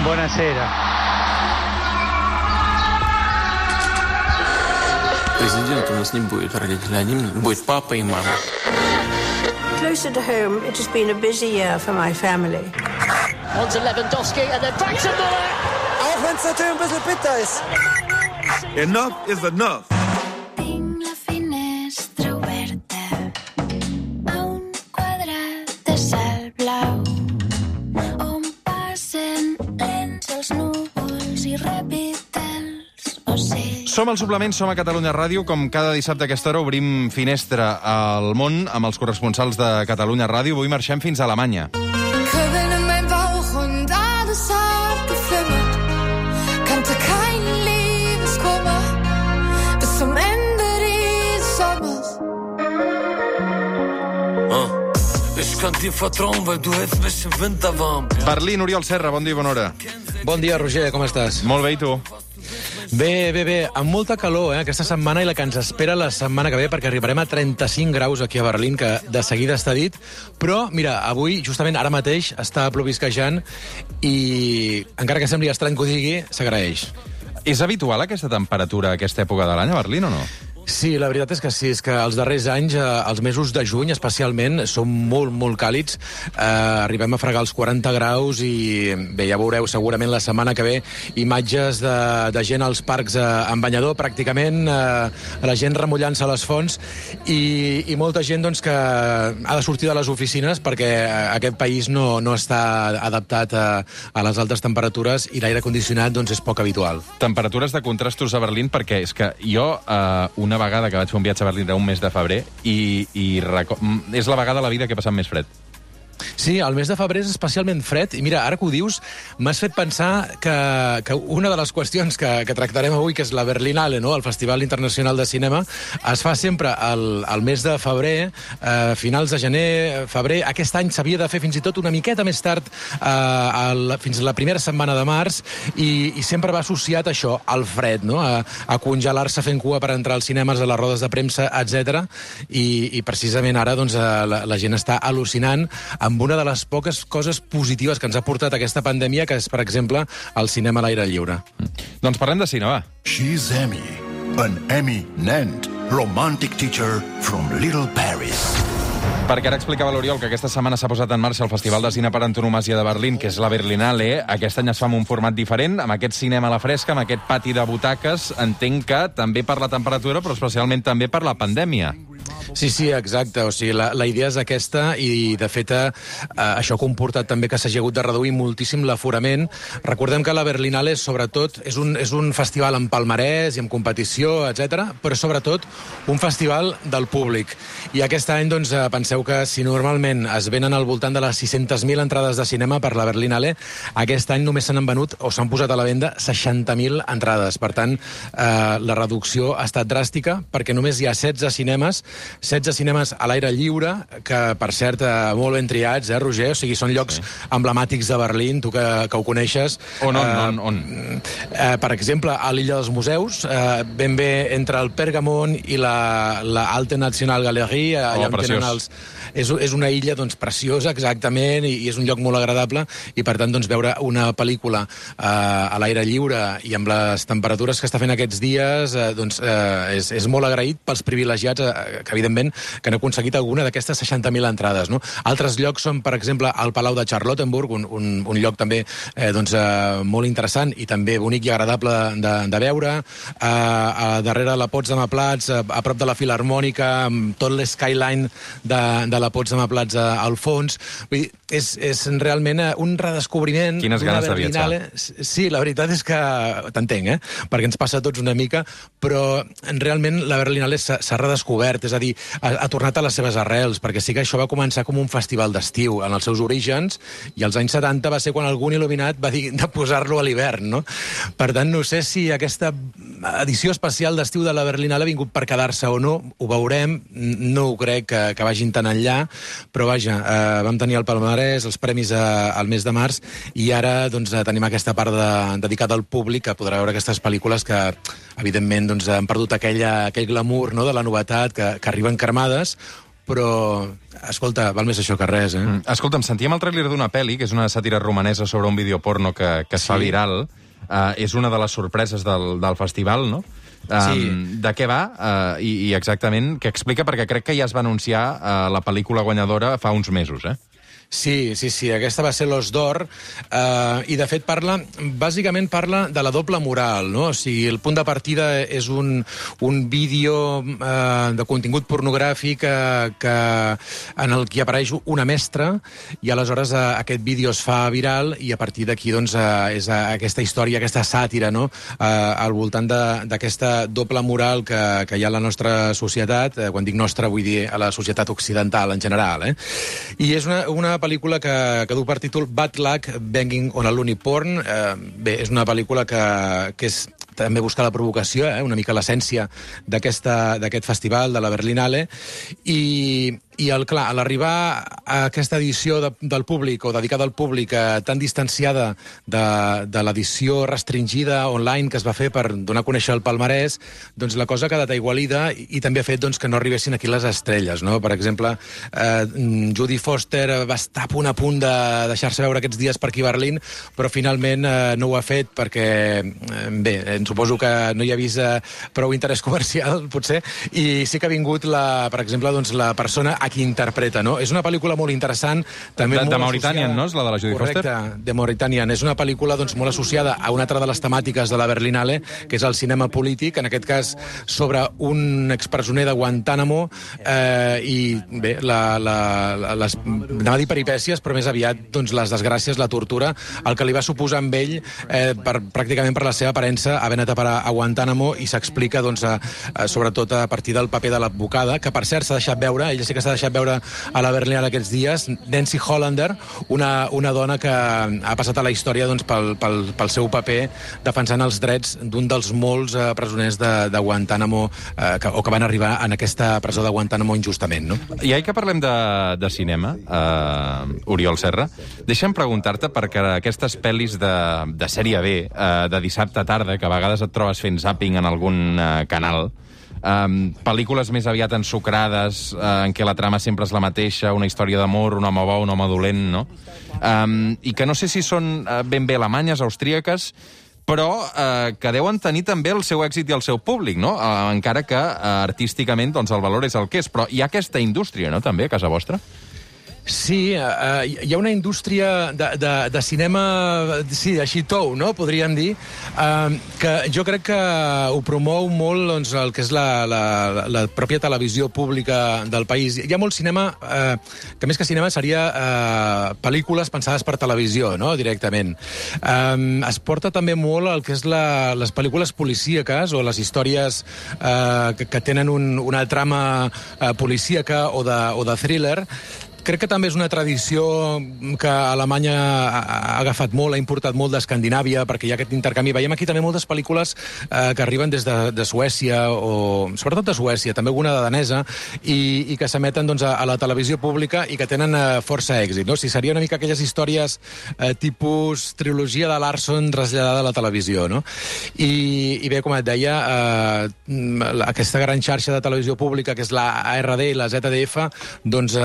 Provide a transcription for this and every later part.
Buonasera. Президент у нас не будет родителей, один будет папа и мама. Closer to home, it has been a busy year for my family. On to Lewandowski and then back to Muller. Auch wenn es natürlich ein bisschen bitter ist. Enough is enough. Tinc la finestra oberta a un quadrat de cel blau on passen lents els núvols i ràpid els ocells. Som al Suplement, som a Catalunya Ràdio. Com cada dissabte a aquesta hora obrim finestra al món amb els corresponsals de Catalunya Ràdio. Avui marxem fins a Alemanya. Kribbeln in meinem Bauch und alles hat geflimmert. Kannte keinen Liebeskummer bis zum Ende dieses Sommers. Ich kann dir vertrauen, weil du hältst mich im Winter warm. Berlín, Oriol Serra, bon dia i bona hora. Bon dia, Roger, com estàs? Molt bé, i tu? Bé, amb molta calor, aquesta setmana i la que ens espera la setmana que ve, perquè arribarem a 35 graus aquí a Berlín, que de seguida està dit, però, mira, avui, justament ara mateix, està plovisquejant i, encara que sembli estrany que ho digui, s'agraeix. És habitual aquesta temperatura a aquesta època de l'any a Berlín o no? Sí, la veritat és que sí, és que els darrers anys, els mesos de juny especialment, són molt càlids. Arribem a fregar els 40 graus i bé, ja veureu segurament la setmana que ve imatges de gent als parcs en banyador, pràcticament, la gent remullant-se a les fonts i molta gent doncs, que ha de sortir de les oficines perquè aquest país no està adaptat a les altes temperatures i l'aire condicionat doncs, és poc habitual. Temperatures de contrastos a Berlín, perquè és que jo una vegada que vaig fer un viatge a Berlín un mes de febrer i és la vegada a la vida que he passat més fred. Sí, el mes de febrer és especialment fred i mira, ara que ho dius, m'has fet pensar que una de les qüestions que tractarem avui, que és la Berlinale, no? El Festival Internacional de Cinema, es fa sempre al mes de febrer, finals de gener, febrer. Aquest any s'havia de fer fins i tot una miqueta més tard, fins a la primera setmana de març, i sempre va associat això, al fred, no? A congelar-se fent cua per entrar als cinemes, a les rodes de premsa, etc. I precisament ara doncs, la gent està al·lucinant amb una de les poques coses positives que ens ha portat aquesta pandèmia, que és, per exemple, el cinema a l'aire lliure. Doncs parlem de cine, va. She's Emmy, an eminent romantic teacher from Little Paris. Perquè ara explicava l'Oriol que aquesta setmana s'ha posat en marxa el Festival de Cine per Antonomàsia de Berlín, que és la Berlinale. Aquest any es fa amb un format diferent, amb aquest cinema a la fresca, amb aquest pati de butaques. Entenc que també per la temperatura, però especialment també per la pandèmia. Sí, exacte. O sigui, la idea és aquesta i, de fet, això ha comportat també que s'hagi hagut de reduir moltíssim l'aforament. Recordem que la Berlinale, sobretot, és un festival amb palmarès i amb competició, etc., però, sobretot, un festival del públic. I aquest any, doncs, penseu que si normalment es venen al voltant de les 600.000 entrades de cinema per la Berlinale, aquest any només s'han venut o s'han posat a la venda 60.000 entrades. Per tant, la reducció ha estat dràstica perquè només hi ha 16 cinemes a l'aire lliure, que, per cert, molt ben triats, Roger? O sigui, són llocs emblemàtics de Berlín, tu que ho coneixes. On? Per exemple, a l'illa dels museus, ben bé entre el Pergamon i la Alte Nationalgalerie, allà on tenen els... És una illa doncs, preciosa, exactament, i és un lloc molt agradable, i per tant doncs, veure una pel·lícula a l'aire lliure i amb les temperatures que està fent aquests dies doncs, és molt agraït pels privilegiats que, evidentment, que han aconseguit alguna d'aquestes 60.000 entrades. No? Altres llocs són, per exemple, el Palau de Charlottenburg, un lloc també molt interessant i també bonic i agradable de veure. Darrere la Potsdamer Platz, a prop de la Filharmònica, amb tot l'skyline de la Potsdamer Platz al fons. Vull dir, és realment un redescobriment. Quines ganes de viatjar. Sí, la veritat és que t'entenc, perquè ens passa a tots una mica, però realment la Berlinale s'ha redescobert, és a dir, ha tornat a les seves arrels, perquè sí que això va començar com un festival d'estiu en els seus orígens, i als anys 70 va ser quan algun il·luminat va dir de posar-lo a l'hivern, no? Per tant, no sé si aquesta edició especial d'estiu de la Berlinale ha vingut per quedar-se o no, ho veurem, no ho crec que vagin tan enllà, però vaja, vam tenir el palmarès, els premis al mes de març, i ara doncs, tenim aquesta part dedicada al públic, que podrà veure aquestes pel·lícules que, evidentment, doncs, han perdut aquell glamour, no?, de la novetat, que arriben cremades, però, escolta, val més això que res, Escolta'm, sentíem el tràiler d'una pel·li, que és una sàtira romanesa sobre un videoporno que es fa viral. És una de les sorpreses del festival, no? Sí. De què va i exactament què explica, perquè crec que ja es va anunciar la pel·lícula guanyadora fa uns mesos, Sí, aquesta va ser l'Os d'Or, i de fet bàsicament parla de la doble moral, no? O sigui, el punt de partida és un vídeo de contingut pornogràfic en el que apareix una mestra, i aleshores aquest vídeo es fa viral, i a partir d'aquí doncs, és aquesta història, aquesta sàtira, no? Al voltant d'aquesta doble moral que hi ha a la nostra societat, quan dic nostra vull dir a la societat occidental en general, I és una pel·lícula que du per títol Bad Luck Banging on a Loony Porn. Bé, és una pel·lícula que és també buscar la provocació, una mica l'essència d'aquest festival, de la Berlinale, i clar, a l'arribar a aquesta edició del públic, o dedicada al públic, tan distanciada de l'edició restringida online que es va fer per donar a conèixer el palmarès, doncs la cosa ha quedat aigualida i també ha fet doncs, que no arribessin aquí les estrelles, no? Per exemple, Jodie Foster va estar a punt de deixar-se veure aquests dies per aquí a Berlín, però finalment no ho ha fet perquè, bé, suposo que no hi ha vist prou interès comercial, potser, i sí que ha vingut, per exemple, doncs, la persona a qui interpreta, no? És una pel·lícula molt interessant, també molt Mauritània, no? És la de la Jodie Foster? Correcte, de Mauritània. És una pel·lícula doncs, molt associada a una altra de les temàtiques de la Berlinale, que és el cinema polític, en aquest cas sobre un expresoner de Guantánamo, i bé, anava a dir peripècies, però més aviat doncs, les desgràcies, la tortura, el que li va suposar amb ell, pràcticament per la seva aparença, haver anat a parar a Guantánamo, i s'explica doncs, sobretot a partir del paper de l'advocada, que per cert s'ha deixat veure, ella sí que s'ha deixat veure a la Berlinale aquests dies, Nancy Hollander, una dona que ha passat a la història doncs, pel seu paper defensant els drets d'un dels molts presoners de Guantánamo, o que van arribar en aquesta presó de Guantánamo injustament, no? I que parlem de cinema, Oriol Serra, deixa'm preguntar-te, perquè aquestes pel·lis de sèrie B, de dissabte tarda, que a vegades et trobes fent zàping en algun canal, pel·lícules més aviat ensucrades, en què la trama sempre és la mateixa, una història d'amor, un home bo, un home dolent, no? I que no sé si són ben bé alemanyes, austríaques, però que deuen tenir també el seu èxit i el seu públic, no? Encara que artísticament doncs, el valor és el que és. Però hi ha aquesta indústria, no?, també, a casa vostra? Sí, hi ha una indústria de cinema, sí, així tou, no?, podríem dir, que jo crec que ho promou molt doncs, el que és la pròpia televisió pública del país. Hi ha molt cinema, que més que cinema seria pel·lícules pensades per televisió, no?, directament. Es porta també molt el que és les pel·lícules policíaques o les històries que tenen una trama policíaca o de thriller. Crec que també és una tradició que Alemanya ha agafat molt, ha importat molt d'Escandinàvia, perquè hi ha aquest intercanvi. Veiem aquí també moltes pel·lícules que arriben des de Suècia, o sobretot de Suècia, també alguna de danesa, i que s'emeten doncs, a la televisió pública i que tenen força èxit. No? O sigui, seria una mica aquelles històries tipus trilogia de Larson traslladada a la televisió. No? I bé, com et deia, aquesta gran xarxa de televisió pública, que és la ARD i la ZDF, doncs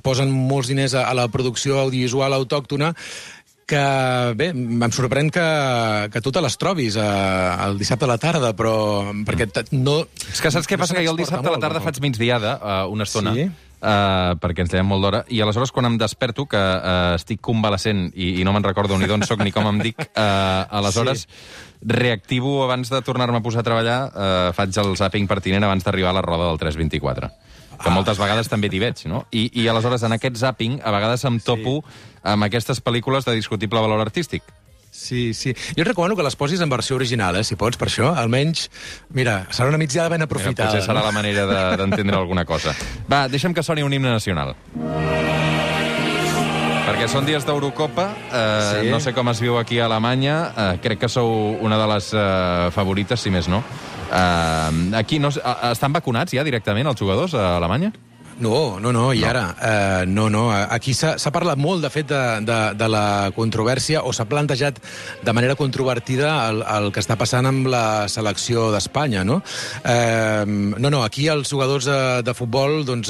posen molts diners a la producció audiovisual autòctona, que, bé, em sorprèn que tu te les trobis el dissabte a la tarda, però perquè no... És que saps què passa? Que jo el dissabte a la tarda faig migdiada, una estona, perquè ens llevem molt d'hora, i aleshores quan em desperto, que estic convalescent i no me'n recordo ni d'on soc ni com em dic, aleshores reactivo abans de tornar-me a posar a treballar, faig el zàping pertinent abans d'arribar a la roda del 324. Que moltes vegades també t'hi veig, no? I aleshores, en aquest zàping, a vegades em topo amb aquestes pel·lícules de discutible valor artístic. Sí. Jo et recomano que les posis en versió original, si pots, per això. Almenys, mira, serà una migdiada ben aprofitada. Potser serà la manera d'entendre alguna cosa. Va, deixa'm que soni un himne nacional. Perquè són dies d'Eurocopa, no sé com es viu aquí a Alemanya, crec que sou una de les favorites, si més no. Aquí estan vacunats ja directament els jugadors a Alemanya? No, i ara? No. Aquí s'ha parlat molt, de fet, de la controvèrsia, o s'ha plantejat de manera controvertida el que està passant amb la selecció d'Espanya, no? No, aquí els jugadors de futbol doncs,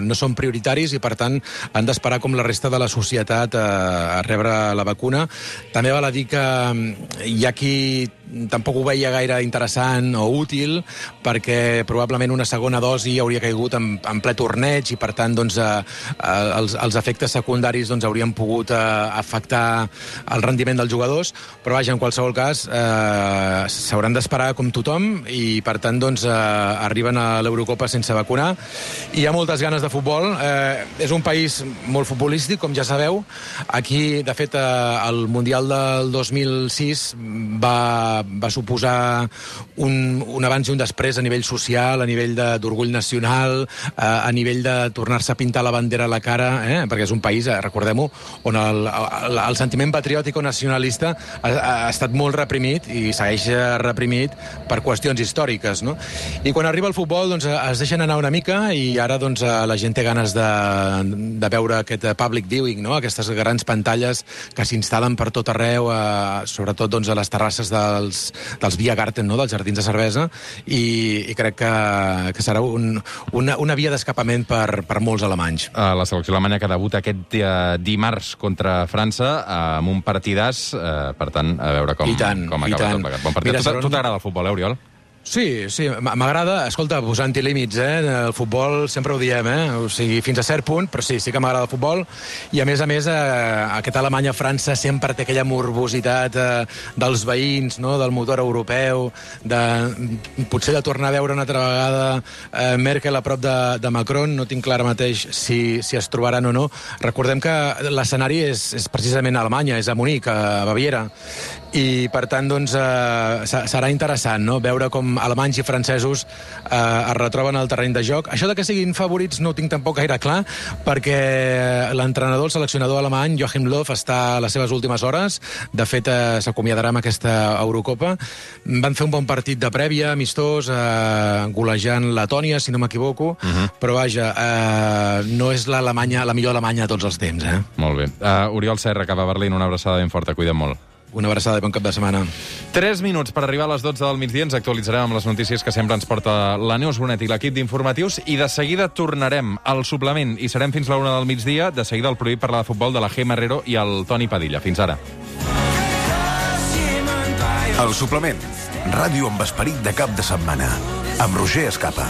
no són prioritaris i, per tant, han d'esperar com la resta de la societat a rebre la vacuna. També val a dir que hi ha qui tampoc ho veia gaire interessant o útil, perquè probablement una segona dosi hauria caigut en ple torneig i, per tant, doncs, els efectes secundaris doncs, haurien pogut afectar el rendiment dels jugadors, però vaja, en qualsevol cas s'hauran d'esperar com tothom i, per tant, doncs, arriben a l'Eurocopa sense vacunar. Hi ha moltes ganes de futbol. És un país molt futbolístic, com ja sabeu. Aquí, de fet, el Mundial del 2006 va suposar un abans i un després a nivell social, a nivell d'orgull nacional, a nivell de tornar-se a pintar la bandera a la cara, perquè és un país, recordem-ho, on el sentiment patriòtic o nacionalista ha estat molt reprimit i segueix reprimit per qüestions històriques, no? I quan arriba el futbol, doncs, es deixen anar una mica i ara doncs, la gent té ganes de veure aquest public viewing, no? Aquestes grans pantalles que s'instal·len per tot arreu, sobretot doncs, a les terrasses dels Biergarten, no? Dels jardins de cervesa, i crec que serà una via d'escapament per molts alemanys. La selecció alemanya que debuta aquest dimarts contra França amb un partidàs, per tant, a veure com acaba tot plegat. Bon partit. Tu t'agrada el futbol, Oriol? Sí, m'agrada. Escolta, posant-hi límits, el futbol sempre ho diem, o sigui, fins a cert punt, però sí que m'agrada el futbol, i a més, aquest Alemanya-França sempre té aquella morbositat dels veïns, no?, del motor europeu, potser de tornar a veure una altra vegada Merkel a prop de Macron. No tinc clar ara mateix si es trobaran o no. Recordem que l'escenari és precisament a Alemanya, és a Munic, a Baviera, i per tant doncs, serà interessant, no?, veure com alemanys i francesos es retroben al terreny de joc. Això de que siguin favorits no ho tinc tampoc gaire clar, perquè l'entrenador, el seleccionador alemany, Joachim Löw, està a les seves últimes hores. De fet, s'acomiadarà amb aquesta Eurocopa. Van fer un bon partit de prèvia, amistós, golejant Letònia, si no m'equivoco, però vaja, no és la millor Alemanya de tots els temps. Molt bé. Oriol Serra, cap a Berlín, una abraçada ben forta, cuida't molt. Una abraçada i bon cap de setmana. 3 minuts per arribar a les 12 del migdia. Ens actualitzarem amb les notícies que sempre ens porta la Neus Bonet i l'equip d'informatius, i de seguida tornarem al suplement i serem fins la 1 del migdia. De seguida el Prohibit parlar de futbol de la Gemma Herrero i el Toni Padilla. Fins ara. El suplement. Ràdio amb esperit de cap de setmana. Amb Roger Escapa.